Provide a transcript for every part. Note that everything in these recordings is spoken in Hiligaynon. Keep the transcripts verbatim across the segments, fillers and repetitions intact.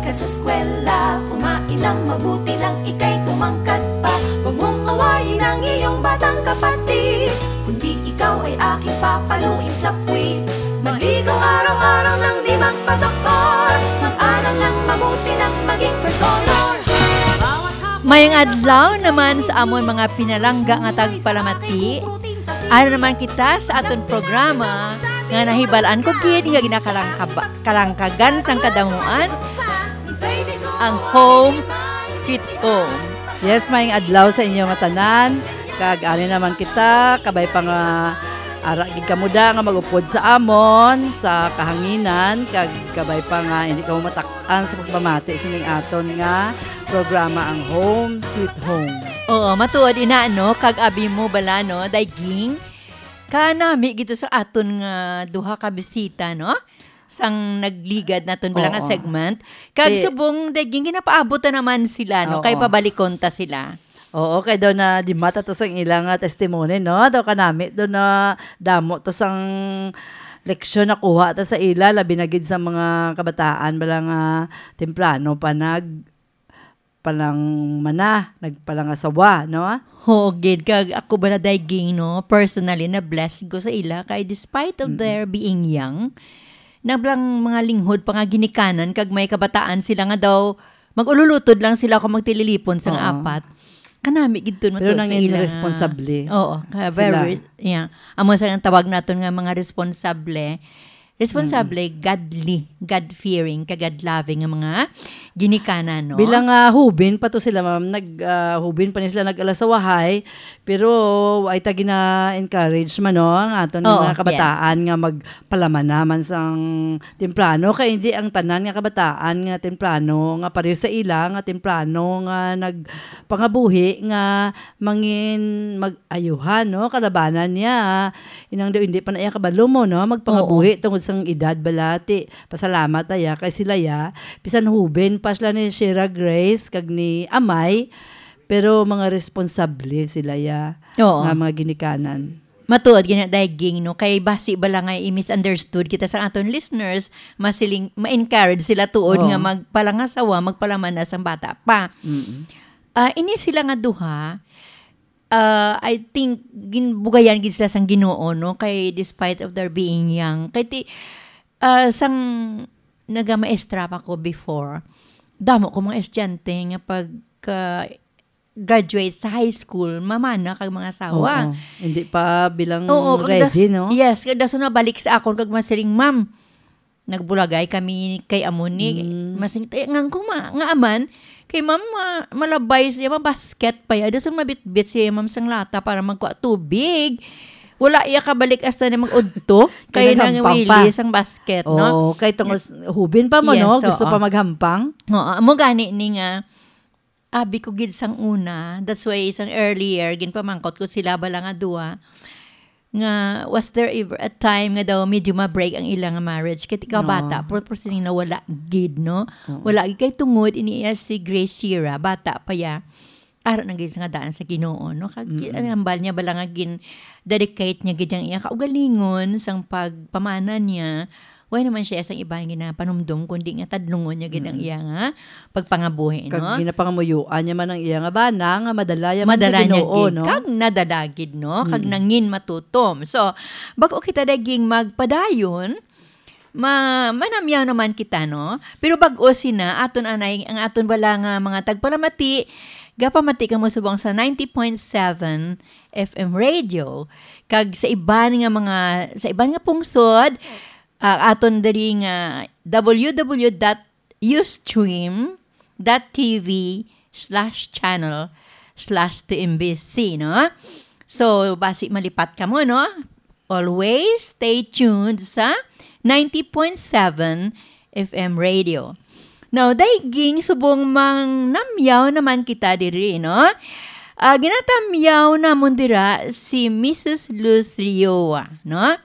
Sa eskwela, kumain ng mabuti nang ika'y tumangkad pa. Huwag mong awayin ang iyong batang kapatid, kundi ikaw ay aking papaluin sa puwit. Maligo araw-araw nang di magpadoktor. Mag-aral ng mabuti nang maging first honor. Mayong adlaw naman sa amon mga pinalangga nga tagpalamati. Ara naman kita sa aton programa nga nahibalaan ko gid nga ginakalangkaba-, kalangkagan sang kadamuan, ang Home Sweet Home. Yes, mayong adlaw sa inyo nga tanan. Kag ari naman kita, kabay pa nga ara gid kamo da nga mag-upod sa amon sa kahanginan, kag kabay pa nga hindi kamo matak-an sa pagpamati sining aton nga programa, ang Home Sweet Home. Oo, matuod ina, no? Kag abi mo bala, no, Daiging? Kanami gito sa aton nga duha ka bisita, no? Sang nagligad naton bala nga Oo. segment. Kag Ti- subong, Daiging, ginapaabot na naman sila, no? Kay Oo. pabalikon ta sila. Oo, kay daw na di mata to sang ila nga testimony, no? Daw kanami daw na damo to sang leksyon nakuha ta sa ila, labi na gid sa mga kabataan bala nga temprano pa nag palang mana, nagpalangasawa, no? Ho, gid, kag ako bala, Daiging, no, personally, na-blessed ko sa ila kay despite of Mm-mm. their being young, nablang mga linghod pa nga ginikanan kag may kabataan sila nga daw mag-ululutod lang sila kung magtililipon sang Oo. apat. Kanami gid to Pero matuod sa nangin ila nga responsable Oo, ka-, sila. very, yeah. Amo sa ang tawag naton nga mga responsable. Responsable, Mm. godly, God-fearing, kag God-loving nga mga ginikanan, no? Bilang, ah, hubin pa to sila, ma'am, nag, ah, hubin pa ni sila nag-alasawahay, pero ay ta gina-encourage man, no, ang aton Oo, mga kabataan yes. nga magpalamana man sang temprano, kay hindi ang tanan nga kabataan nga temprano nga pareho sa ila nga temprano nga nagpangabuhi nga mangin mag-ayuhan, no, kalabanan niya. Inang daw hindi pa na iya kabalo mo, no, magpangabuhi Oo. tungod sang edad bala, ti pasalamat na iya kay sila ya. Bisan huben pa sila ni Shira Grace kag ni Amay, pero mga responsable sila ya Oo. nga mga ginikanan. Matuod gina, Daiging, no? Kay basi bala nga i-misunderstood kita sa aton listeners, masiling, ma-encourage sila tuod Oo. nga magpalangasawa, magpalamana sang bata pa. Mm-mm. Ah, ini sila nga duha, ah, I think, ginbugayan gid sila sang Ginoo, no? Kay despite of their being young. Kay ti, ah, sang nagamaestra pa ko before, damo ko mga estudyante nga pagka graduate sa high school, mamana kag mga asawa. Oo. Hindi pa bilang Oo, kag ready, das-, no? Yes, kag dason nabalik sa akon kag masiling, "Ma'am, nagbulagay kami kay amo ni." Mm. Masing-, eh, ngan ko ma-, nga aman, kay ma'am, ma-, malabay siya, mabasket pa ya. Dason mabitbit siya, ma'am, sang lata para magkuha tubig. Wala iya kabalik hasta na mag-udto, kay Naghampang pa. nangwili sang basket, no? Oo, kay tungod s-, hubin pa mo, Yes, no? Gusto oo. pa maghampang. Oo, amo gani ni nga, abi ko gid sang una, that's why sang earlier, ginpamangkot ko sila bala nga duwa, nga was there ever a time nga daw medyo ma-break ang ila nga marriage? Kay ikaw No. bata, pero, pero sining nawala gid, no? Oo. Wala gid kay tungod ini iya si Grace Shira, bata pa ya. Ara na gid sa nga daan sa Ginoo, no? Kag gi-, Mm-mm. ang hambal niya bala nga gin-dedicate niya gid ang iya kaugalingon sang pagpamana niya. Way naman siya sang iban ginapanumdom, kundi nga tadlungon niya gid ang Mm. iya nga pagpangabuhi, Kag no? ginapangamuyoan niya man ang iya nga bana nga madala ya man sa Madala niya Ginoo, gid. no? Kag nadala gid, no? Kag Mm. nangin matutom. So, bag-o kita daging magpadayon, ma-, manamyaw naman kita, no? Pero bag-o sina, aton anay, ang aton bala nga mga tagpalamati, gapamati kamo subong sa ninety point seven F M radio, kag sa iban nga mga, sa iban nga pungsod, ah, aton diri nga W W W dot ustream dot T V slash channel slash T M B C, no? So, basi malipat kamo, no? Always stay tuned sa ninety point seven F M radio. Now, daiging subong mangnamyaw naman kita diri, no? Ah, ginatamyaw namon dira si Missus Luz Rioa, no?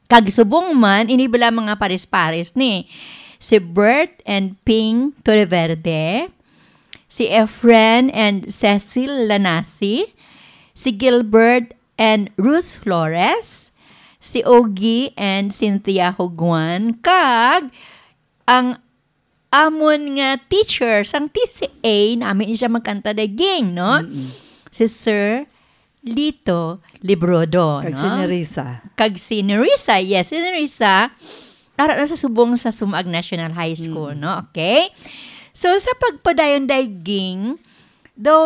Kag subong man, ini bala mga pares-pares ni si Bert and Ping Torreverde, si Efren and Cecil Lanasi, si Gilbert and Ruth Flores, si Ogie and Cynthia Huguan, kag ang amon nga teacher sang T C A, nami ni siya magkanta, Daiging, no? Mm-mm. Si Sir Lito Librodo, Kag no? Si Nerissa. Kag si Nerissa, yes, si Nerissa, ara na sa subong sa Sumaag National High School, Mm. no? Okay? So, sa pagpadayon, Daiging, daw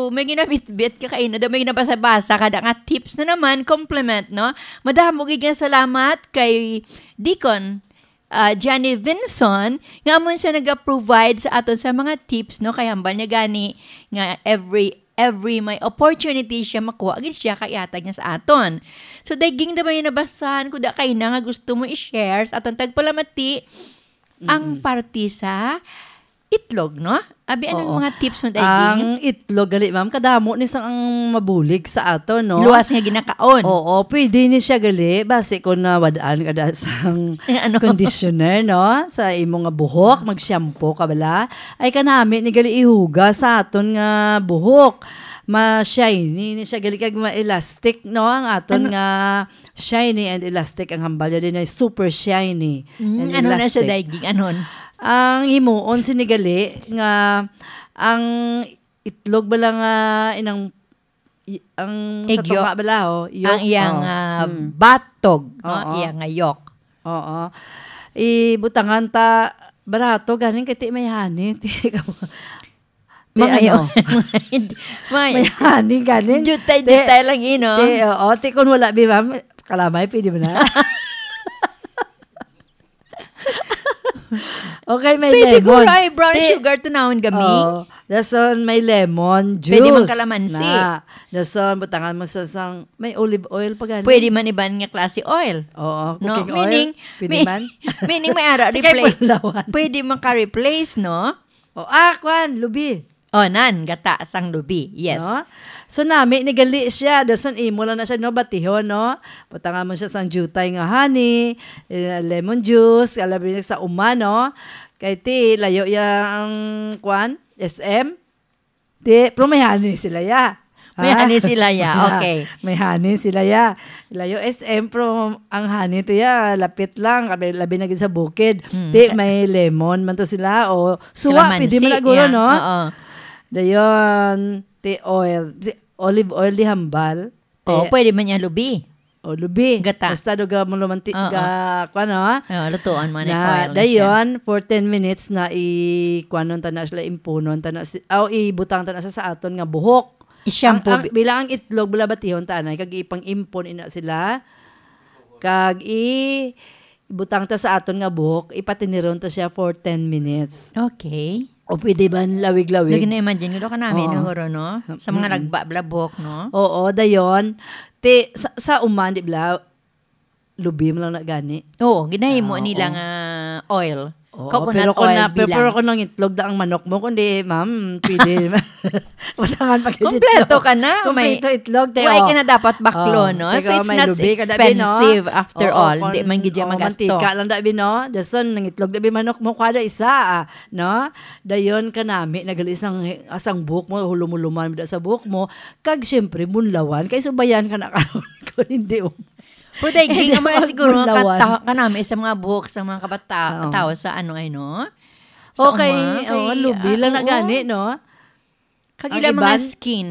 may ginabitbit ka kaina, daw may ginabasa-basa ka da nga tips na naman, compliment, no? Madamo gid nga salamat kay Deacon, ah, Johnny Vinson, nga amon siya naga-provide sa aton sa mga tips, no? Kay hambal niya gani nga every, every may opportunity siya makuha, gid siya kay ihatag niya sa aton. So, Daiging, da may nabasahan ko da kaina nga gusto mo i-share sa aton tagpalamati ang Mm. parte sa itlog, no? Abi, anong Oo. mga tips mo, Daiging? Ang itlog, gali, ma'am, kadamo ni sang ang mabulig sa ato, no? Luwas nga ginakaon. Oo, pwede ni siya, gali, basi kung nawad-an ka da sang Eh, ano? conditioner, no? Sa imo nga buhok, mag-shampoo ka bala. Ay, kanami ni gali ihugas sa aton nga buhok. Ma-shiny ni siya, gali, kag ma-elastic, no? Ang aton Ano? nga shiny and elastic, ang hambal niya din ay super shiny Mm, and ano na siya, elastic. Daiging? Anon? Ang himuon sini gali nga ang itlog bala nga inang, i-, ang sa Egg yolk. tunga bala, oh, yolk, Ang iyang, oh. ah, Mm. batog, no? Oo. Iyang nga yolk. Oo. Ibutangan ta, barato ganing kay ti may honey, ti, ti Mga ano? yun. May May honey ganing. Jutay-jutay Ti, lang, ino? ti, oo, ti kung wala, bi, ma'am, kalamay, pwede ba na? Okay, may Pwede lemon. guro ay brown Ti-, sugar, tanawon gami. Oo. Dason may lemon juice Pwede man kalamansi. na. Dason butangan mo sa sang, may olive oil pa gani. Pwede man iban nga klase oil. Oo, No? cooking oil. Meaning, Pwede may, man. meaning may ara Ti kay replace. Palawan. Pwede maka-replace, no? O, ah, kwan, lubi. O, nan, gata sang lubi. Yes. No? So, nami ni gali siya. Dason imo lang na siya, no, batihon, no? Butangan mo siya sang jutay nga honey, eh, lemon juice, kalabi sa uma, no? Kay ti, layo ya ang, kwan, S M. Ti, pero may honey sila, ya. May Ha? honey sila, ya. Okay. May honey sila, ya. Layo S M, pero ang honey to, ya, lapit lang. Labi, labi na gid sa bukid. Hmm. Ti, may lemon man to sila. O, suwa, Kalamansi, pwede man na guro, ya. no? Oo. Dayon, ti, oil. Ti, olive oil di hambal. Oh, Ti, pwede man niya lubi. O, lubi. Gata. Basta do ga mo lumanti-, Oo. ga, kuwan, no? Oo, lutuan mo na Na, yung oil na siya. dayon, for ten minutes na i-, kuwanon ta na sila, impunon ta na si-, aw, ibutang ta na sa, sa aton nga buhok. I-shampoo Ang, ang, bi- bilang ang itlog, bala batihon ta, anay, kag ipang-impon ina sila. Kag i-, ibutang ta sa aton nga buhok, ipatiniron ta siya for ten minutes. Okay. O pwede ba lawig-lawig? Lagi na-imagine ko, do ka namin, Oo. no, guro, no? Sa mga Mm-mm. nagba-, blabok, no? Oo, dayon. Ti, sa, sa uman, di bala, lubi mo lang na gani. Oo, ginahimo Ah, nila oo. nga oil. Oo, Coconut pero kung oil na, pero, bilang. pero kung nangitlog da ang manok mo, kundi, ma'am, pwede. Butangan pa kayo Kompleto itlog. ka na. May, Kompleto itlog, te, wala oh. ka na dapat baklo, Oh, no? teka, So, it's may not lubi ka, dabi, no? expensive after Oo, all. Hindi kung, man gid siya oh, magasto. mantika lang, dabi, no? Dason, nangitlog, dabi, manok mo, kada isa, ah, no? Dayon, kanami, nagalis ang, asang buhok mo, hulumuluman da sa buhok mo. Kag, siyempre, bunlawan. Kay subayan ka na karon, kung hindi, oh. Puday, Hindi ging, ang mga mo siguro, ang bunlawan. kata-, kanami sa mga buhok sa mga kabata-, Oo. tao sa ano, ay, no? Sa Okay, uma, oh, kay, lubi ah, lang na oo. gani, no? Kag Ang ila mga iban? skin.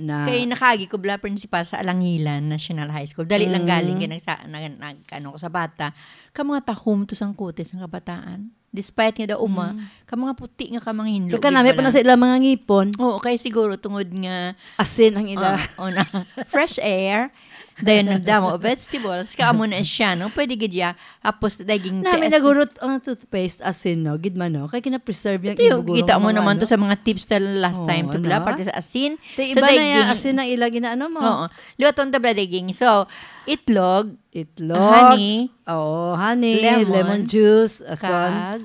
Na. Kay nakaagi ko bala principal sa Alangilan National High School. Dali lang Mm. galing kay nagsa-, nag-, nag-, ano ko sa bata. Ka mga tahom to sang kutis ng kabataan. Despite nga daw uma, Mm. ka mga puti nga ka mga hinlo, Kag kanami gid pa na bala. sa ilang mga ngipon. Oo, kay siguro tungod nga Asin ang ila. Ah, una, fresh air. Dayon nagdamo vegetables. Ka amo na siya, no? Pwede gid siya. Hapos daging Nami tias. nagurot ang toothpaste asin, no? Gid man, no? Kay kina-preserve yung Ito yung imo guro kita mo mga naman ano. to sa mga tips sa last Oo, time to bla, no? parte sa asin. Ti So, iba na yung daging asin ang ila ginaano mo. Oo. Liwaton ta bla daging. So, itlog, Itlog. honey, Oo, honey, lemon, lemon juice, asin. kag,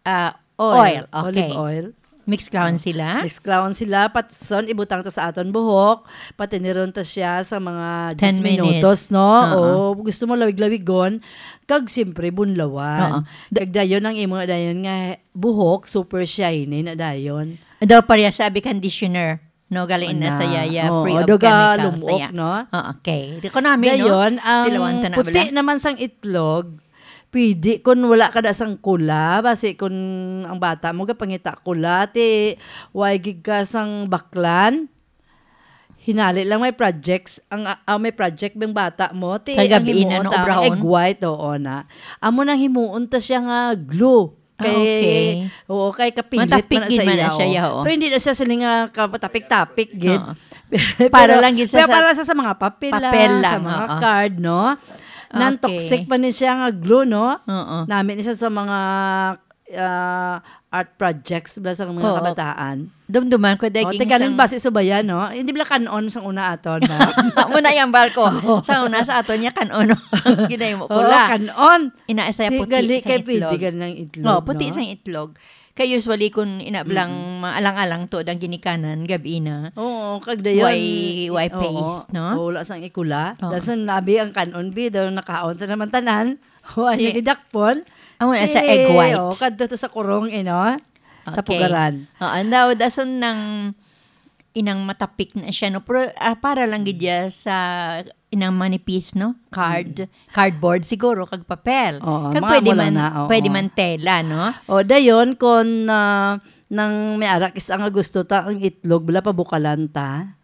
ah, Oil. oil. Olive Okay. oil. Mix clown sila. Mix clown sila. Patson, ibutang ta sa aton buhok. Patiniron ta siya sa mga Ten diyes minutos, minutes. no? Oo. Oo. Gusto mo lawig-lawigon. Kag siyempre, bunlawan. Oo. Da- Kag dayon ang imo dayon nga buhok, super shiny na dayon. Daw pareha sa abi conditioner. No, galing na Ana. sa yaya, Oo, free of do ka chemicals, lumuok, saya. no? Oo, okay. Di ko namin, no? Dayon, ang Tilawan ta na puti bala. naman sang itlog, Pwede kun wala ka da sang kula, basi kun ang bata mo gapangita kula, ti way gid ka sang baklan. Hinali lang may projects, ang, ah, may project bang bata mo, ti Kay ang gabi himuon na ta, ang obrahon? Egg white, oo na. Amo nang himuon ta siya nga glue. Ah, Kay, okay. oo, kay kapilit Matapik man na gid sa man na iya, siya, oo. oo. Pero hindi na siya sila nga kapatapik-tapik, gid. Oo. Pero, Para lang gid siya pero sa para sa, sa mga papel, papel ah, lang, sa mga oo. card, no? Non-toxic Okay. pa ni siya nga glue, no? Oo. Nami ni siya sa mga, ah, art projects bala sa mga Oo. kabataan. Dumduman ko, Oh, daging tiganan sang ba si Subayan, no? Hindi bala kanon sang una aton, no? Muna yung barko. Oo. Sa una sa aton niya, kanon. Ginay mo Oo, kula. kanon. Ina, isa Di puti gali sa kay pwede itlog. ka ng itlog, Oh, puti no? sa itlog. Kay usually, kung ina blang Mm. maalang-alang to, dang ginikanan, gabi na. Oo, kag dayon, Why, why oo, paste, no? oo, wala sang ikula. Oo. Dason, nabi ang kanon, bi, daw nakaon ta naman tanan. Wa niya Ye- gidakpon. Amo na sa Eh, egg white. oh, kadto to sa kurong, eh, no? Sa Okay. pugaran. Oo, and daw, dason nang inang matapik na siya, no? Pero, ah, para lang gid ya sa inang manipis, no? Card, Mm. cardboard siguro, kag papel. Oo, Kag mga pwede amo lang man, na, oo. pwede man tela, no? O, dayon, kung, ah, nang may arakis ang gusto ta, ang itlog, bala pabukalan ta.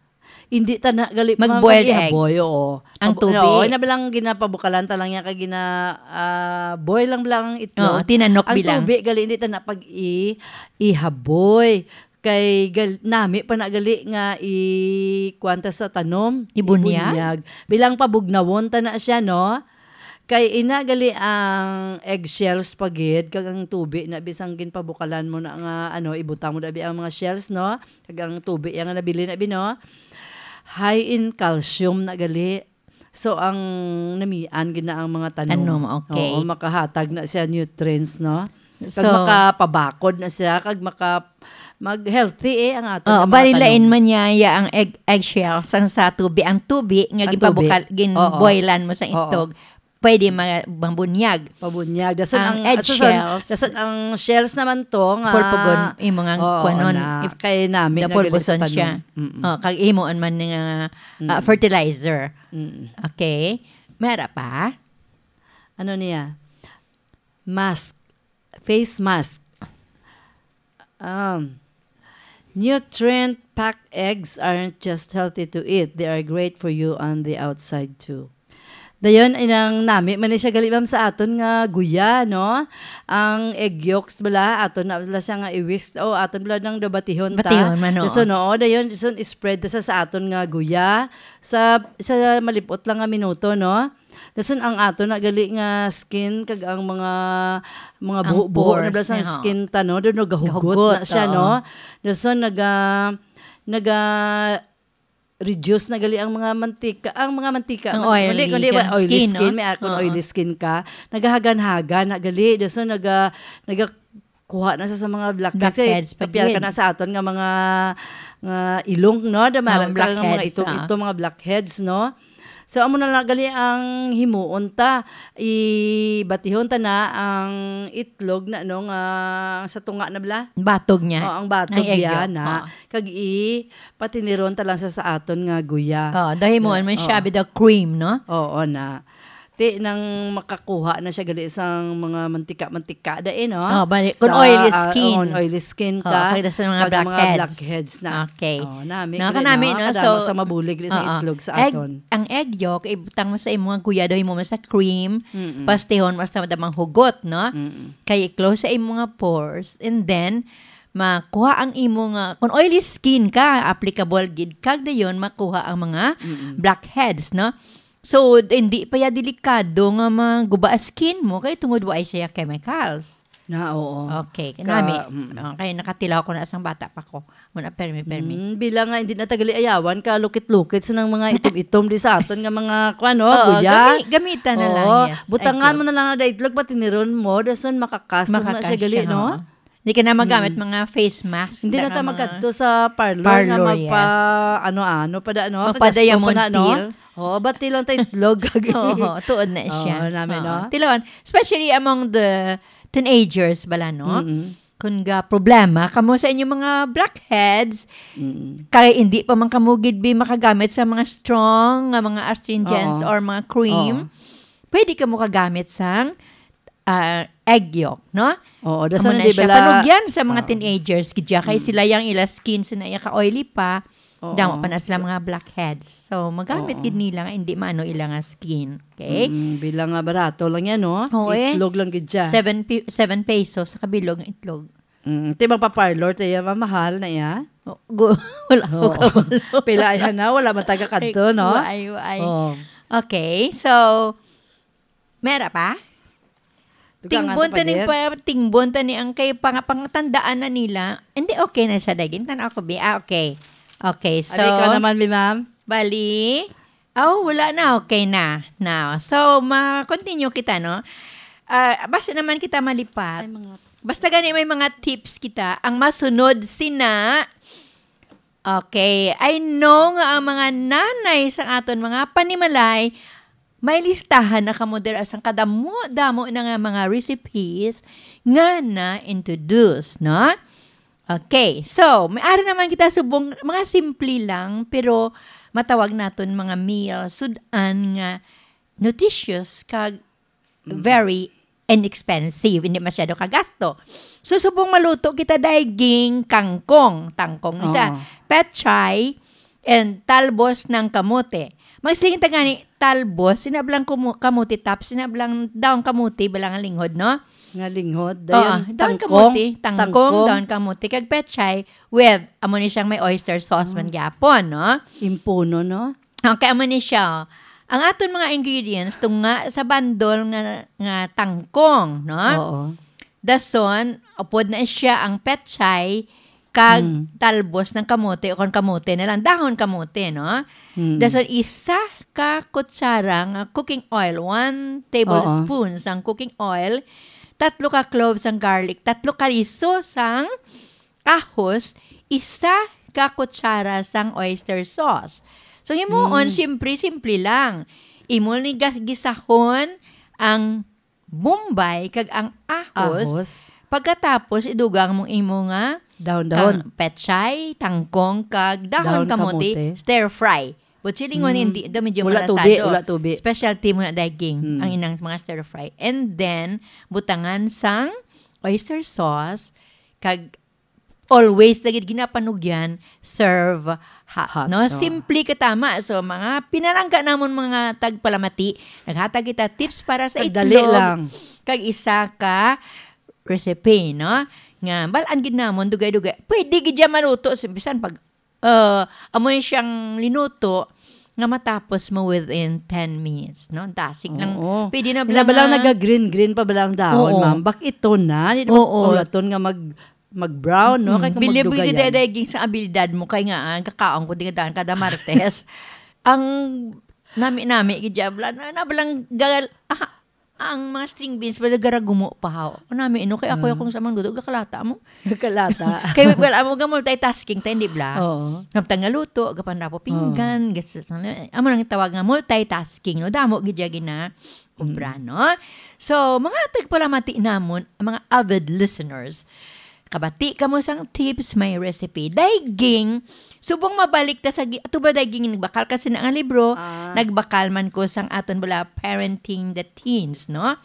Hindi ta na gali Mag-boiled egg. mag-ihaboy, oo. Ang Pab-, tubig. oo, ina bala ang ginapabukalan ta lang yan, kag gina-, ah, boil lang bala ang itlog. Oo, tinanok Ang bilang. tubig, gali, hindi ta na pag-i-, ihaboy. Kay gal-, nami pa na gali nga i-, kuwan ta sa tanom. Ibunyag? Ibunyag. Bilang pabugnawon ta na siya, no? Kay ina gali ang eggshells pa gid, kag ang tubi na bisang ginpabukalan mo na nga, ano, ibutang mo na bi ang mga shells, no? Kag ang tubi yang nga nabili na bi, no? High in calcium na gali. So, ang namian gid na ang mga tanom. Tanom, okay. Oo, makahatag na siya nutrients, no? Kag So, makapabakod na siya, kag maka-, mag-healthy eh ang aton Oo, nga mga bali lain tanom. man niya, ya ang egg, eggshell, sang sa tubi, ang tubi nga Ang tubi. gipabukal-, Oo. ginboilan mo sa Oo. itlog, pwede ma-, mabunyag. Pabunyag. Dason Ang ang, egg dason, shells. dason ang shells naman to nga Purpugon, imo nga Oo, kuanon, na. if Kay nami na gali sa napurbuson tanom. siya. Mm-mm. Oh, kag imoon man nga, ah, Mm. fertilizer. Mm. Okay. May ara pa? Ano niya? Mask. Face mask. Um, nutrient-packed eggs aren't just healthy to eat, they are great for you on the outside too. Dayon, inang nami man ni siya gali, ma'am, sa aton nga guya, no? Ang egg yolks bala, aton na bala siya nga i-whisk. O, aton bala nang daw batihon ta. Batihon man, oo. Dason, oo, dayon, dason, i-spread ta sa, sa aton nga guya. Sa, sa malipot lang nga minuto, no? Dason ang aton na gali nga skin kag ang mga, mga Ang buho-buho na pores bala sang niya, ho. skin ta, no? Daw nagahugot Gahugot, na siya, oo. no? Dason naga-, naga-reduce na gali ang mga mantika, ang mga mantika, Ang man-, oily kundi, kundi kang oily skin, skin, no? may akon Oo. oily skin ka, nagahagan-hagan na gali. Dason naga-, naga-, kuha na sa, sa mga blackheads. Blackheads Kasi pa kapial ka gid. na sa aton nga mga, nga ilong, no? Da Mga marang ka nga mga blackheads, itong, ah. itong mga blackheads, no? So, amo na lang gali ang himuon ta. Ibatihon ta na ang itlog na, no, nga sa tunga na bala. Batog niya. O, ang batog Ang egg niya yolk, na. oo. Kag i-, patiniron ta lang sa, sa aton nga guya. Oo, dahil himuon man siya, Oo. bida cream, no? Oo na. Ti nang makakuha na siya gali sang mga mantika-mantika da eh, no? Oh, bali, kung Sa, oily ah, skin. on oily skin Oh, ka, kaya sa mga kag mga blackheads. blackheads na. Okay. Oh, nami No, gali, kanami, no? no? Kadamo So, sa mabulig gali sa oo. itlog sa Egg, aton. ang egg yolk, ibutang mo sa imo nga guya, daw mo sa cream, Mm-mm. pastehon mo sa madamang hugot, no? Mm-mm. Kay i-close sa imo nga pores, and then, makuha ang imo nga, kung oily skin ka, applicable gid, kag dayon makuha ang mga Mm-mm. blackheads, no? So, hindi pa ya delikado nga maguba ang skin mo kay tungod wa siya chemicals. Na, oo. Okay, Ka-, kanami. mm. Okay, nakatilaw ko na sang bata pa ko. Muna, permi, permi. Mm, bilang nga hindi na tagali ayawan ka, lukit-lukit sa nang mga itom-itom di sa aton nga mga, kuwan, no, Oo, guya. gami-, gamitan na lang, Oo, yes. butangan Ay, mo na lang na itlog, patiniron mo, dason makakastom na siya Makakas gali, siya, no? oo. Hindi ka na magamit Mm. mga face mask, Hindi na na ta mga magkadto sa parlor nga parlor, magpa, yes. ano-ano pa da, no? Magpa-diamond Pagasto pa na, no? peel. Oo, bati lang ta itlog. Oo, tuod na siya. Oo, nami, Oo. no? Tilawan, especially among the teenagers bala, no? Mm-mm. Kung ga problema kamo sa inyong mga blackheads, Mm-mm. kay hindi pa man kamo gid bi makagamit sa mga strong nga mga astringents Oo. or mga cream, Oo. pwede kamo kagamit sang ah, egg yolk, no? Oo, Amo dason na hindi siya. Bala Panugyan sa mga Oo. teenagers, gidya kay Mm. sila yang ila skin sina iya ka-oily pa, Oo. damo pa na sila mga blackheads. So, magamit Oo. gid nila nga hindi maano ila nga skin. Okay? Mm, bilang nga barato lang yan, no? Oo, eh. Itlog lang gid siya. Seven pi-, seven pesos sa kabilog nga itlog. Mm, ti magpa-parlor, ti iya mamahal na iya? Oh, gu-, wala ko Oo. kabalo. Pila ay hana, wala man taga kadto, no? Ay, ay, ay. Oo. Okay, so, mera pa? Dugangan Tingbon ta ta pa ni gid. pa, tingbon ta ni ang kay pang-, pangtandaan na nila. Hindi, okay na siya, dagin. Tan-aw ko, bi. Ah, okay. Okay, so, Ari ka naman, bi, ma'am. Bali, oh, wala na. Okay na. Now, so, ma-continue kita, no? Ah, basta naman kita malipat. Ay, mga Basta gani may mga tips kita, ang masunod sina, okay, I know nga ang mga nanay sa aton mga panimalay, may listahan na kamo dira sang kadamo-damo na nga mga recipes nga na-introduce, no? Okay, so, may ari naman kita subong, mga simple lang, pero matawag naton mga meal, sud-an nga nutritious kag Mm. very inexpensive, hindi masyado kagasto. So, subong maluto kita, daiging kangkong, tangkong na siya, Oo. pechay, and talbos ng kamote. Magsiling ta gani, talbos, sinablang kumu-, kamote tops, sinablang daon kamote, bala nga linghod, no? Nga linghod, Oo, dayon daon tangkong, kamote, tangkong, tangkong. daon kamote, kag pechay with, amo ni siyang may oyster sauce man Mm. gyapon, no? Impuno, no? Okay, amo ni siya. Ang aton mga ingredients, tunga sa bandol nga, nga tangkong, no? Oo. Dason, upod na siya ang pechay, kag Mm. talbos ng kamote, o kung kamote na lang, dahon kamote, no? Mm. Dason, isa ka kutsara nga cooking oil, one tablespoon Oo. sang cooking oil, tatlo ka cloves sang garlic, tatlo ka liso sang ahos, isa ka kutsara sang oyster sauce. So, himuon, Mm. simple, simple lang. Imo ni gas-, gisahon ang bombay kag ang ahos. Ahos. Pagkatapos, idugang mo imo nga Dahon-dahon. kang pechay, tangkong, kag dahon Dahon kamote, kamote. stir fry. But silingon, Mm. hindi, daw medyo Wala malasado. tubi, wala tubi. Specialty mo na daging, Mm. ang inang mga stir fry. And then, butangan sang oyster sauce, kag always na gid ginapanugyan, serve hot, Hot, no? oh. Simple ka tama. So, mga pinalangga namon, mga tagpalamati, naghatag kita tips para sa Kag dali itlog. lang. Kag isa ka recipe, no? Nga, balaan gid namon, dugay-dugay. Pwede gid siya maluto. So, bisan pag, uh, amo ni siyang linuto, nga matapos mo within ten minutes, no? Dasig lang. Oo. Pwede na Ina bala ba lang nga naga-green-green pa ba lang dahon, Oo. ma'am? Bak ito na. Di na Oo. maulaton nga mag- mag-brown, no? Kay Mm, kung bilib magdugay gid yan. Daging sa abilidad mo, kay nga, ah, kakaon ko din daan kada Martes. Ang nami-nami, gid, diabla, na, na balang gal-, ah, ang mga string beans, wala garagumo pa, haw. Ang nami, no? Kay ako, Mm. akong samang dudo, gakalata mo. Gakalata. Kay, well, amo ga multitasking tayo, di bla? Oo. Samtang nga luto, gapanrapo pinggan, Oo. gas-, amo nang tawag nga multitasking, no? Damo, gid, ya, gina-, Obra, Mm. no? So, mga tagpalamati namon, mga avid listeners, kabati kamo sang tips, may recipe. Daiging, subong mabalik ta sa gi-, ato ba daiging nagbakal kasi na nga libro, Ah. nagbakal man ko sang aton bala Parenting the Teens, no?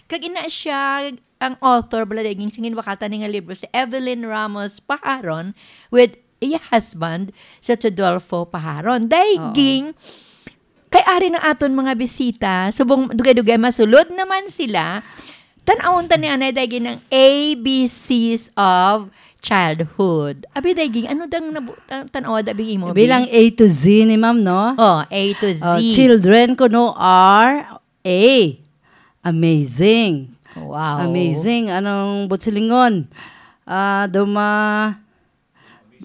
Kag ina siya, ang author bala daiging singin bakal ta ni nga libro, si Evelyn Ramos Paharon with iya husband, si Rodolfo Paharon. Daiging, Oo. Kay ari na aton mga bisita, subong dugay-dugay masulod naman sila. Tan-awon ta ni anay daigin ang A B Cs of childhood. Abi daigin, ano dang nabu-, tan-, tan-awa da bing imo, Bi? Bilang A to Z ni ma'am, no? Oh, A to Z. Oh, children ko, no, are A. Amazing. Wow. Amazing. Anong butsilingon? Ah, duma-,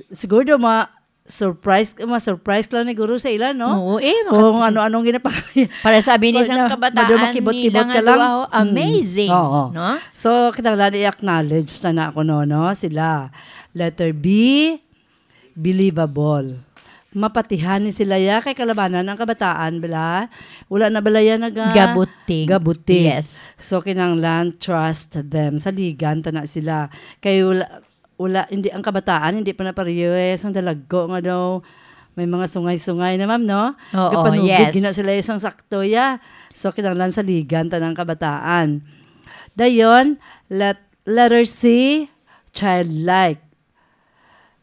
siguro ma-, surprise, ma-surprise lang ni guro sa ila, no? Oo, eh, Kung makat-, ano-anong ginapa-, para sa bini Kung sang na, kabataan maduma kibot-kibot nila ka nga lang. duha, oh, Mm. amazing, Oo. no? So, kinahanglan i-acknowledge na na ako, no, no? Sila. Letter B, believable. Mapatihan ni sila ya kay kalabanan ang kabataan, bala. Wala na bala yan naga- Gabuting. Gabuting. Yes. So, kinahanglan trust them. Saligan ta na sila. Kay wala, wala, hindi, ang kabataan, hindi pa na parehas ang dalagko nga daw may mga sungay-sungay na, ma'am, no? Oo, Gapanugid yes. gina sila isang sakto, ya. So, kinahanglan saligan ta ng kabataan. Dayon, let, letter C, childlike.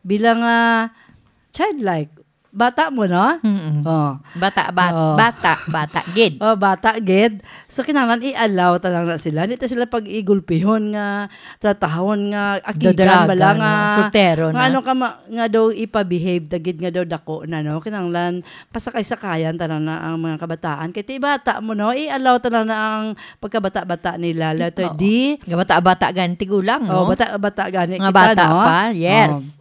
Bilang, ah, childlike, bata mo, no? Mm-mm. Oh. Bata, bat-, Oo. bata, bata, gid. Oh, bata, gid. So, kinahanglan i-allow ta lang na sila. Hindi ta sila pag-igulpihon nga, tratahon nga, akigan Dodalaga bala nga, nga, sutero nga na. ano ka ma-, nga daw ipa-behave, dagid nga daw dako na, no? Kinahanglan, pasakay-sakayan ta lang na ang mga kabataan. Kay ti bata mo, no? I-allow ta lang na ang pagkabata-bata nila. Letter Oo. D. Nga bata-bata gani tigulang, Oh, no? bata-bata gani Nga kita, bata no? pa, yes. Oh.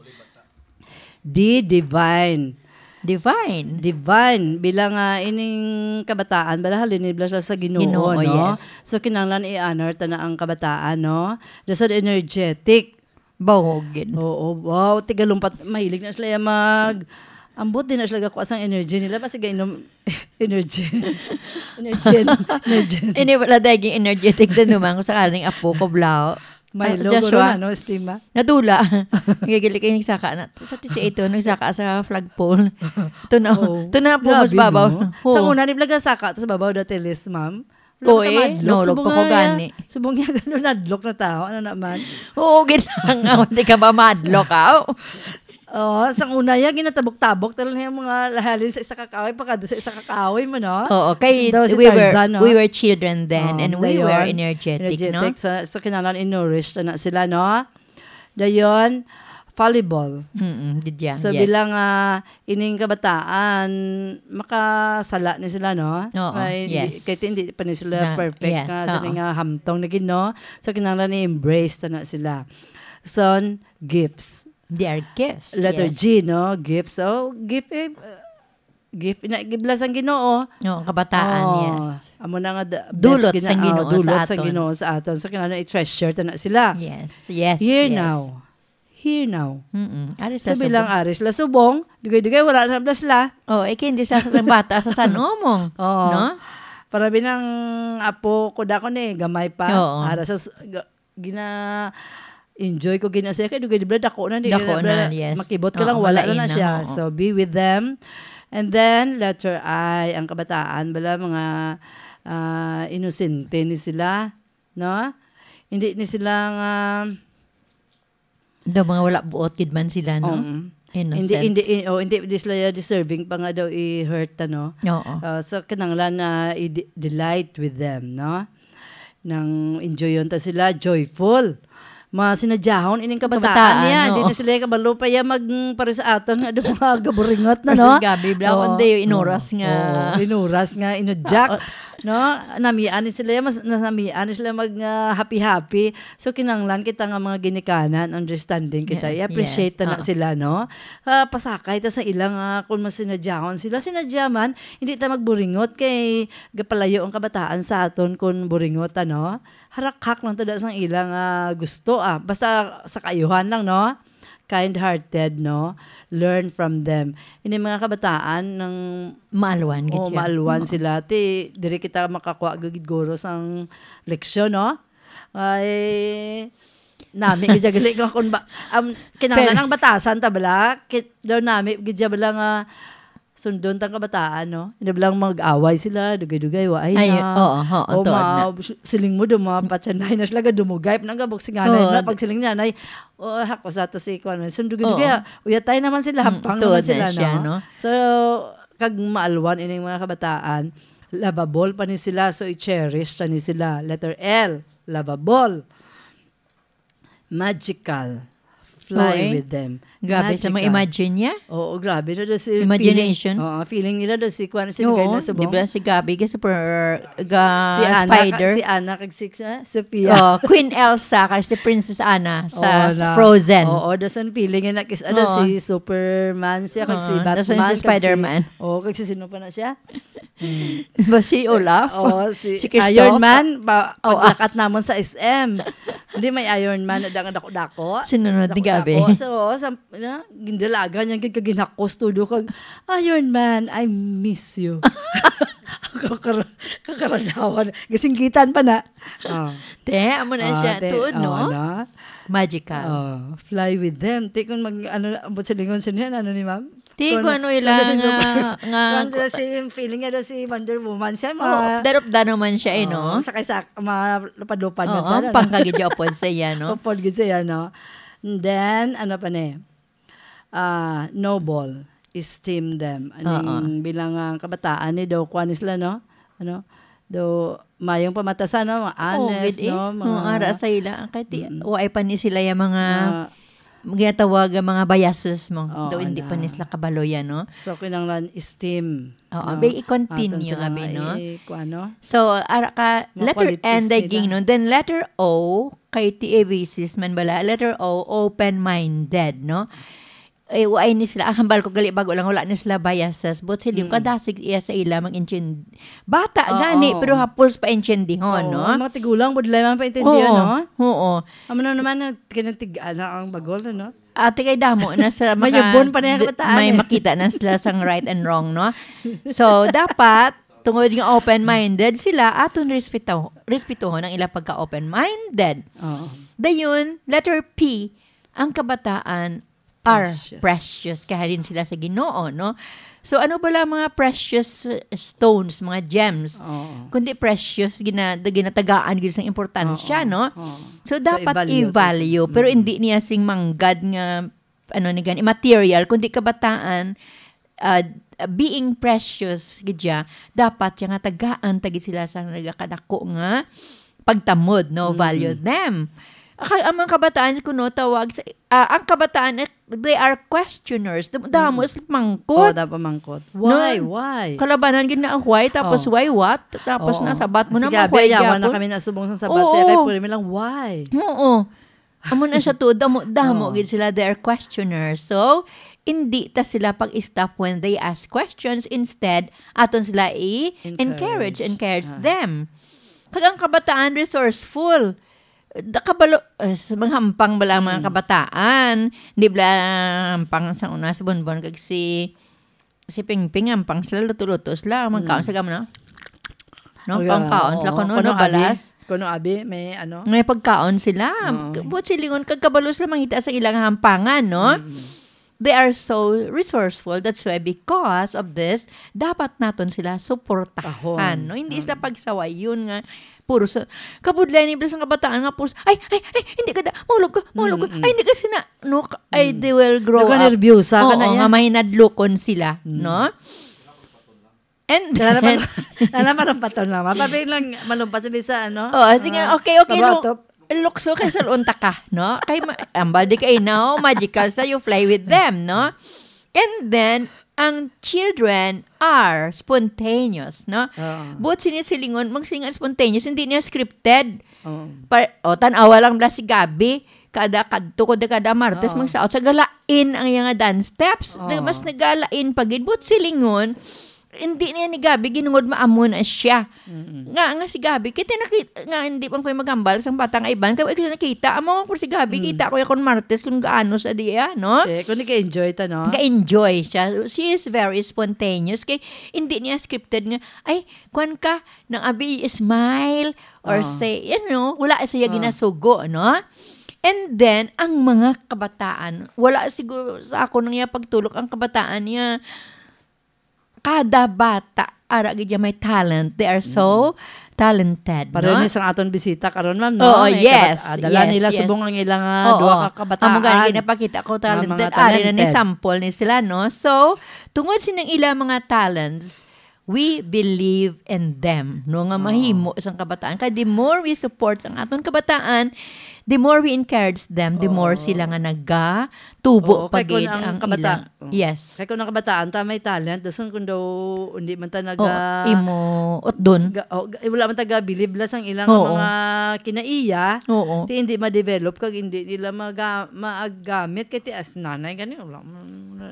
D, divine. Divine. Divine. Bilang, ah, ining kabataan, bala halin nila sa Ginoo, Ginoo, no? yes. So, kinahanglan i-honor ta na ang kabataan, no? Dasal energetic. Bawogin. Oo, wow, tigalumpat, mahilig na sila yan mag, ambot din na sila gakuha sang energy nila, basta gainom, energy. Energy. Energy. Ini wala daging energetic din naman ko sa kaning apo ko, Blau. May Ah, logo Joshua. ron, ano, Estima? Nadula. Gigili kay nagsaka na. Sa tisa ito, nagsaka sa flagpole. Ito na, Oo. ito na po, Grabe, mas babaw. no? Oo. Sa una, ni Blaga saka, sa babaw dati, Liz, ma'am. Wala Oo, ka eh. madlok. Nahulog Subong pa ko nga, gani. subong nga, gano'n, nadlok na tao. Ano naman? Oo, gid lang. Hindi ka ba madlok, aw? Oo, sang una, ya, ginatabok-tabok. Talaga yung mga lahalin sa isa ka kahoy, pagkado sa isa ka kahoy mo, no? Oo, kay Daw si we were, Tarzan, no? we were children then, Oo, and we were dayon. energetic, no? Energetic. So, so, kinahanglan i-nourish na sila, no? Dayon, fallible. Mm-mm, did yan, So, yes. bilang, ah, ining kabataan, makasala ni sila, no? Oo, Kay hindi, yes. kay hindi pa ni sila Na, perfect yes, nga, sa oo. nga hamtong na gid, no? So, kinahanglan i-embrace ta na sila. Son, gifts. They are gifts, Letter yes. G, no? Gifts. So, gift, eh, uh, gift, na, gibla sang Ginoo. Oo, kabataan, Oh, yes. amo na nga, the best Dulot gina-, sang oh, Ginoo sa dulot sang aton. Ginoo sa aton. So, kinahanglan i-treasure ta na sila. Yes, yes, Here yes. now. Here now. Mm-mm. Ari sa So, bilang subong. ari sila subong, dugay-dugay, wala na bala sila. Oh, eh, hindi sa, sa bata sa San Omong, Oo. no? Para binang apo ko dako ni, gamay pa. Oo. Ara sa s-, ga-, gina-, enjoy ko gina siya. Kaya dugay, di ba, dako na, di Dako na, na, na, yes. makibot ka Oo, lang, wala na malain na na, siya. oo. So, be with them. And then, letter I, ang kabataan, bala, mga, ah, inosente ni sila, no? Hindi ni sila nga Daw mga wala buot gid man sila, no? Oo. Innocent. Hindi, hindi, i-, oh, hindi, di sila deserving pa nga daw i-hurt, ano? Oo. Ah, so, kinahanglan na i-de-, delight with them, no? Nang enjoyon ta sila, joyful. Mga sinadyahon ining kabataan Kabataan, niya. Di oo. na sila kabalo pa ya mag, mm, para sa aton nga, daw mga gaburingot na, Kasi no? gabi, bla, Oo. kundi yung inuras Oo. nga. Oo, inuras nga, inudyak. Oo. No? Namian ni sila, mas, namian ni sila mag, ah, happy-happy. So, kinahanglan kita nga mga ginikanan, understanding kita. Yeah, I-appreciate yes, ta na oo. sila, no? Ah, pasakay ta sa ilang, ah, kung mas sinadyahon sila, sinadya man, hindi ta magburingot kay gapalayo ang kabataan sa aton kung buringot, ano? Harakhak lang ta da sang ilang, ah, gusto, ah. Basta sa kaayuhan lang, no? Kind-hearted, no? Learn from them. Ini mga kabataan nang Maalwan gid oh, siya. maalwan Oo. sila. Ti, diri kita makakuha gid guro sang leksyon, no? Ay, nami gid siya gali ko kung ba, um, kinahanglan Pero ang batasan ta bala, kit, daw nami gid siya bala nga sundon tang kabataan, no? Hindi bala mag-away sila, dugay-dugay, wa ay Ay, na. oo, oo, O, tuod ma-, na. siling mo, daw, mga patsanay na sila, dumugay, pa nang gabok si nanay Oo, na, d- pag siling ni nanay, "Oh, hako sa to si kuwan, sundugay-dugay, Oo. ah, uyatay naman sila, Mm, hapang naman tuod na sila, siya, no?" no? So, kag maalwan ining mga kabataan, lovable pa ni sila, so i-cherish ta ni sila. Letter L, lovable. Magical. Fly Oo, eh. with them. Grabe sa mga Magical. imagine niya. Oo, grabe na daw si Imagination. feeling. Oo, feeling nila daw si kuwan, si Oo, Miguel na subong. di ba si Gabby, ga super, ga Si Anna, spider? si Anna, kag si, ah, Sophia. Oh, Queen Elsa, kag si Princess Anna sa, Oo, sa na. Frozen. Oo, daw sa feeling na kis-, ano, Oo. si Superman siya, kag si Oo, daw sa Batman, si kag si Spider-Man. Oo, kag si sino pa na siya? Ba si Olaf? Oo, si Si Kristoff? Iron Man, pa-, Oo, ah. paglakat namon sa S M. Hindi may Iron Man, na dako-dako. Sinunod ni Dako-dako. Gabi. So, oo, sa, na, gindalagan niya, gid ka ginhakos, todo kag, "Iron Man, I miss you." Kakara-, kakaranawan. Gisinggitan pa na. Oh. Te, amo na Ah, siya. te, Tuod, no? oo, na. Magical. Oh, fly with them. Te, kung mag, ano, ambot sa lingon sa niya, ano ni ma'am? Ti, Kung kung ano ano ila si nga, Super-, nga, kung ano si feeling niya daw si Wonder Woman siya, Oo, ma-, darop-dano man siya, eh, no? Oo, sakay sa, malupad-lupad na Oo, talaga. Pangkagidya upod sa iya, no? Upod gid sa iya, no? And then, ano pa ni? Ah, noble, esteem them. Aning Oo. bilang, ah, kabataan ni daw, kuwan ni sila, no? Ano? Daw, mayong pamatasan, no? Mga Oo, honest, gid, eh. no? Oo, Mga ara sa ila. Kay ti-, Mm. waay pa ni sila yung mga Mga ginatawag ang mga biases mo. Oo, Daw hindi pa ana. ni sila kabalo yan, no? So, kinahanglan esteem, Oo, no? may i-continue Aton sila nga, abi, nga no? i-, kuwan, no? So, ara ka, Mga letter qualities N, day nila. ging, no? Then letter O, kay ti abisis man bala. Letter O, open-minded, no? Eh, waay ni sila. Ang hambal ko, gali bago lang, wala ni sila biases. But sila, Mm. kadasig iya sa ila, mag-intindi. Bata, Oo, gani, oo. pero hapos pa intindihon, Oo, no? ang mga tigulang, budlay man pa intindi, Oo, no? oo. Amo na naman, na, kinatig-, ano, ang bagol, no? Ate, kay damo na sa maka-, Mayabon pa na yung di-, kabataan, may eh. makita na sila sang right and wrong, no? So, dapat, tungod nga open-minded sila, aton respeto-, respetuhon ang ila pagka-open-minded. Oo. Dayon, letter P, ang kabataan are Precious. precious. Kay halin sila sa Ginoo, no? So, ano bala ang mga precious, uh, stones, mga gems? Oo. Kundi precious, gina-, ginatagaan gyud sang importansya, Oo, no? oo. So, So, dapat i-value to i-value, siya. pero Mm. hindi niya sing manggad nga, ano ni gani, material, kundi kabataan, uh, being precious gid siya, dapat siya nga tagaan ta gid sila sa nagakadako nga pagtamod, no? Mm-mm. Value them. Kay ang mga kabataan kuno tawag sa, ah, ang kabataan, eh, they are questioners. Dam-, damo Mm. sila mangkot. Oh, damo mangkot. No? Why? Why? Kalabanan gid na ang why, tapos Oh. why what? Tapos Oo. nasabat mo Si na, Gabi, why yawan na gyapon? kami nasubong sa sabat Oo. siya, kay puro mi lang, why? Oo. Amo na siya to, damo, damo Oo. gid sila, they are questioners. So, hindi ta sila pag-stop when they ask questions. Instead, aton sila i-encourage, Encourage. encourage Ah. them. Kag ang kabataan, resourceful. Da-, kabalo, eh, sa mga hampang bala ang mga Mm. kabataan. Di bala hampang sa una, si Bonbon kag si, si Pingping, hampang sila, luto-luto sila. Magkaon Mm. sa gamo, no? No? Oh, yeah. Pangkaon sila Oo. kuno, Kuno no, abi, balas. kuno abi, may ano? May pagkaon sila. Oo. Buot silingon, kag kabalo sila mangita sa ilang hampangan, no? Mm. They are so resourceful. That's why, because of this, dapat naton sila suportahan, Tahon. no? Hindi sila Mm. pagsawayon nga puro sa, kabudlay ni, sa kabataan nga puro sa, "Ay, ay, ay, hindi ka da, mahulog ka, mahulog ka. Mm, mm. Ay, hindi ka sina," no? Ka-, ay, Mm. they will grow Daw ka up. nerbiyosa ka Oo, na nga yan. mahinadlokon sila, Mm. no? And Wala na then pala, wala na pala paton lang. Mapapin lang, malumpas sa bisa, ano? Oh, sige, Ah, okay, okay, look, kabato. lukso kay sulon ta ka, no? Kay ma-, ang body kay now, magical sa, you fly with them, no? And then, ang children are spontaneous, no? Oo. Buot sini silingon, magsingan spontaneous, hindi niya scripted. Oo. Pa-, o, tan-awa lang bala si Gabi, kada kadto ko, kada Martes, Oo. magsaot sa galain ang iya nga dance steps. Oo. Na mas nagalain pa gid. Buot silingon, hindi niya ni Gabi ginungod maamo na siya. Mm-mm. Nga, nga si Gabi, kita nakita, nga hindi man ko'y maghambal sa bata nga iban, kaya ko nakita, amo ko si Gabi, Mm. kita ko ya kon Martes kung gaano sa diya, no? Eh, kung nag-enjoy ta, no? Ga-enjoy siya. She is very spontaneous. Kay, hindi niya scripted nga, "Ay, kwan ka, nang abi smile," or Oo. say, you know, wala siya Oo. ginasugo, no? And then, ang mga kabataan, wala siguro sa ako nang iya pagtulok, ang kabataan niya, kada bata, ara gid niya may talent. They are so Mm. talented, Pareho no? ni sang aton bisita karon, ma'am, no? Oo, May yes, kabat-, ah, dala yes, nila yes. subong ang ilang, ah, Oo. duha ka kabataan Amo gani, ginapakita ko, nga talented. mga Ari na ni talented. sample ni sila, no? So, tungod sining ila mga talents, we believe in them, no? Nga Oo. mahimo sang kabataan. Kay the more we support ang aton kabataan, the more we encourage them, the more Oo. sila nga nagatubo Oo, pa kay kung gid ang ang kabata-, ilang Oh. Yes. Kay kung ang kabataan ta may talent, dason kung daw hindi man ta naga-, Oo, imo utdon. ga-, oh, ga-, wala man ta gabilib la sang ilang Oo. mga kinaiya, Oo. ti hindi ma-develop kag hindi nila maga-, maagamit kay ti as nanay gani, wala man,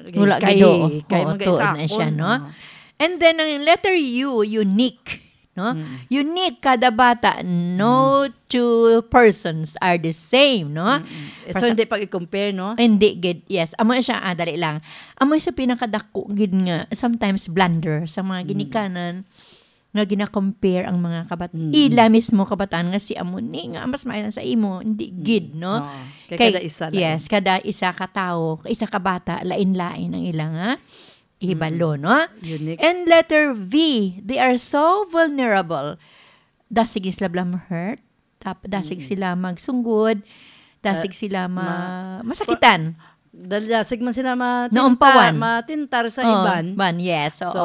Wala kay, gid, oo. kay Oo, magkaisaon, tuod na siya, no? no? And then, ang letter U, unique. No? Mm. Unique kada bata. No Mm. two persons are the same, no? Mm-mm. Eh, so, Pasa- hindi pag i-compare, no? Hindi gid. Yes. Amo siya, ah, dali lang. Amo siya pinakadako gid nga sometimes blunder sa mga Mm. ginikanan. nga gina-compare ang mga kabat-, Mm. ila mismo kabataan nga si amo ni nga mas maayo sa imo, hindi Mm. gid, no? Oo. Kay Kay, kada isa lain. yes, kada isa ka tawo, isa ka bata, lain-lain ang ila nga hibalo, Mm. no? Unique. And letter V, they are so vulnerable. Dasig sila bala ma-hurt, tap-, dasig Mm. sila magsunggod, dasig Ah, sila ma-, ma-, masakitan. Dahil dasig man sila matinta-, Naumpawan. matintar sa Oh, iban. ban, yes, oo. So,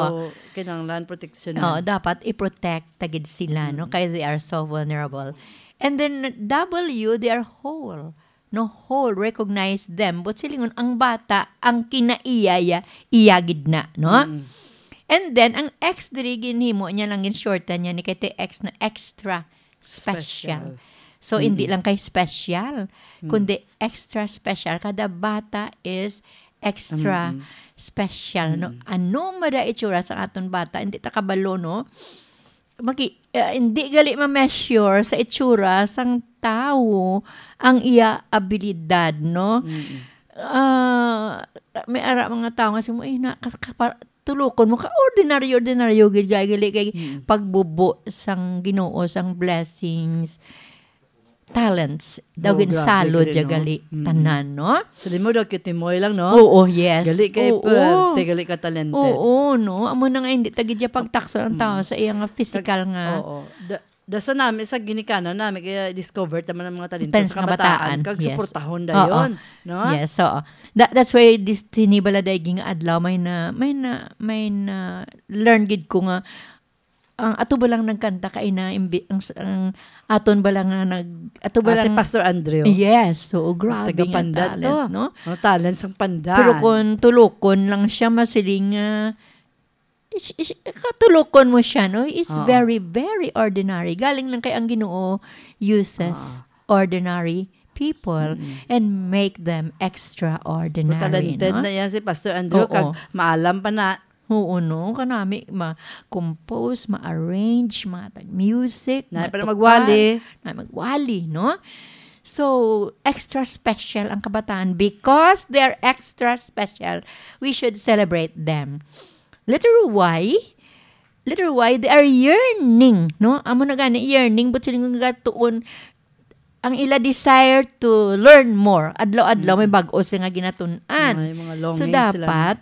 kinahanglan proteksyonan. Oh, dapat i-protect ta gid sila, no? Mm. Kay they are so vulnerable. And then, W, they are whole. No, whole, recognize them. But silingon, ang bata, ang kinaiya, iya, iya gid na, no? Mm. And then, ang X diri, ginhimo niya lang, gin-shorten niya ni kay X na extra special. Special. So, hindi Mm-mm. lang kay special, Mm. kundi extra special. Kada bata is extra Mm-mm. special, no? Mm. Ano man ang itsura sa aton bata, hindi ta kabalo, no? Maki-, eh, hindi gali ma-measure sa itsura sang tawo ang iya abilidad, no? Mm-mm. Ah, may ara mga tawo nga si mo, "Eh, na, kas-, kapa-, tulokon mo ka, ordinaryo, ordinaryo, gid, gali kay Mm. pagbubo sang Ginoo, sang blessings, talents, daw Oo, grabe, ginsalod grabe, ya no? gali Mm. tanan, no?" Sa limo daw, kitimoy lang, no? Oo, yes. Gali kay Oo. perte, gali ka talented. Oo, no? Amo na nga, hindi ta gid ya pagtakson ang tao Mm. sa iya nga physical Kag-, nga oo. Da-, da sa nami, sa ginikanan nami, kaya discover ta man ang mga talento Talent sa sa kabataan, kabataan, kag yes. suportahon Oo. dayon, no? Yes, oo. Tha-, that's why this, sini bala daiging adlaw, may na, may na, may na learn gid ko nga, ang ato ba lang nagkanta kay na imbi-, ang s-, ang aton ba lang nga nag-, ato ba Ah, si lang Pastor Andrew. Yes, so grabe Taga nga Pandan talent, to. no? Ang talent sang Pandan. Pero kung tulokon lang siya, masiling nga, is, is, katulokon mo siya, no? Is Ah. very, very ordinary. Galing lang kay ang Ginoo uses Ah. ordinary people Mm-mm. and make them Pero extraordinary, talented no? na yan si Pastor Andrew, Oo. kag maalam pa na. Oo, no? Kanami, ma-compose, ma-arrange, matag music, Na, pero matukar, magwali. na magwali, no? So, extra special ang kabataan because they're extra special. We should celebrate them. Letter Y, letter Y, they are yearning, no? Amo na gani, yearning, but sila nga tuon, ang ila desire to learn more. Adlaw-adlaw may Mm. bag-o sila nga ginatun-an. May mga So, longings sila, no? dapat,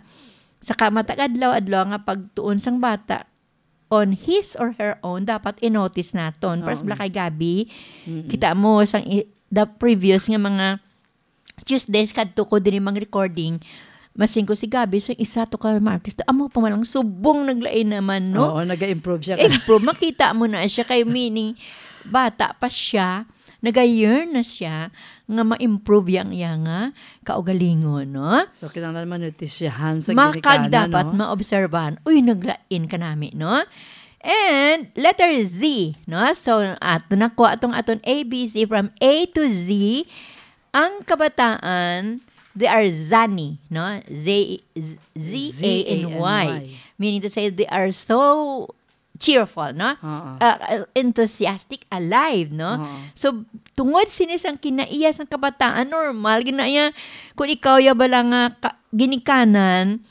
sa ka-, matag adlaw-adlaw nga pagtuon sang bata on his or her own, dapat i-notice naton. Para sa Oo. bala kay Gabby, Mm-mm. kita mo sang i-, the previous nga mga Tuesdays kadto ko diri mang recording, masing ko si Gabby, sa isa to ka mga artista, amo pa man lang subong naglain naman, no? Oo, nag-improve siya ka. Improve. Makita mo na siya kay meaning, bata pa siya, nag-yearn na siya nga ma-improve yang iya nga kaugalingon, no? So, kinahanglan manutisyahan sa Makag ginikanan, dapat no? maobserbahan. Uy, naglain ka nami, no? And letter Z, no? So, ato na ko atong aton A B C from A to Z. Ang kabataan, they are zany, no? Z, Z A N Y. Z A N Y. Meaning to say, they are so cheerful, no? Oo. Uh, uh, enthusiastic, alive, no? Oo. So, tungod sini sang kinaiya sang kabataan, normal, ginaiya, kung ikaw ya bala nga ka-, ginikanan,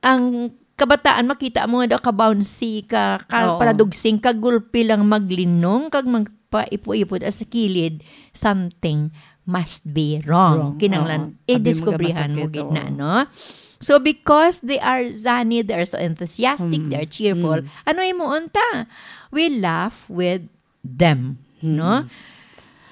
ang kabataan, makita mo nga daw ka-bouncy, ka, ka Oo. paladugsing, ka gulpi lang maglinong, kag magpaipo-ipo sa kilid, something must be wrong. Wrong. Kinahanglan, Oo. Abi mo idiskubrihan mo masakit, gid na, oo. no? So, because they are zany, they are so enthusiastic, Mm. they are cheerful, Mm. ano himuon ta? We laugh with them, Mm. no?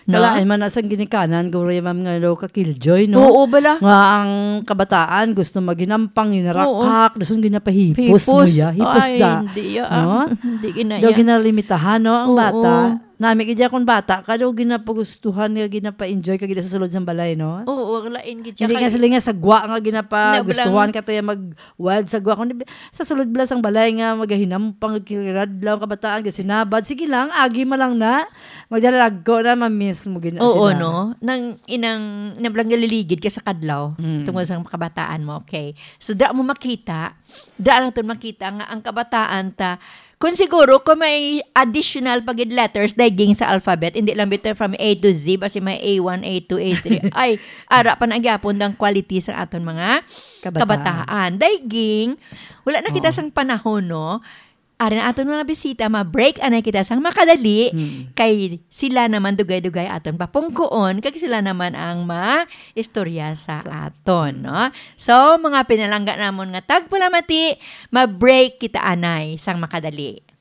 No? Kalain man na sang ginikanan, guro, ma'am, nga daw ka-killjoy, no? Oo, bala. Nga ang kabataan gusto maginampang, ginarakak, Oo. dason ginapahipos mo Hipos. ya, hipos Ay, da. hindi ya, No? ah. Hindi ginaya. Daw ginalimitahan, no, ang Oo. bata. Nami kaya kung bata ka, daw ginapagustuhan nga, ginapa-enjoy ka gid sa sulod sang balay, no? Oo, ang lain gid siya Hindi nga kay sila nga sagwa nga ginapagustuhan Nabalang ka tayo mag-wild sagwa. Kung di-, sa sulod bala sang balay nga magahinampang, kiradlaw ang kabataan, gasinabad. Sige lang, agi man lang na. Magdalagko na, ma-miss mo gina Oo, sila. no? Nang inang, nang lang naliligid ka sa kadlaw, Mm. tungod sa kabataan mo, okay. So, dira mo makita, dira naton makita nga ang kabataan ta, kung siguro, kung may additional pa gid letters, daiging sa alphabet, hindi lang bitaw from A to Z, basi may A one, A two, A three. Ay, ara pa na gyapon ang quality sa aton mga Kabataan. kabataan. Daiging, wala na kita Oo. sang panahon, no? Ari na aton mga bisita, ma-break anay kita sang makadali, Mm. kay sila naman dugay-dugay aton papungkoon, kag sila naman ang ma-istorya sa Sa aton, no? So, mga pinalangga namon nga tagpalamati, ma-break kita anay sang makadali.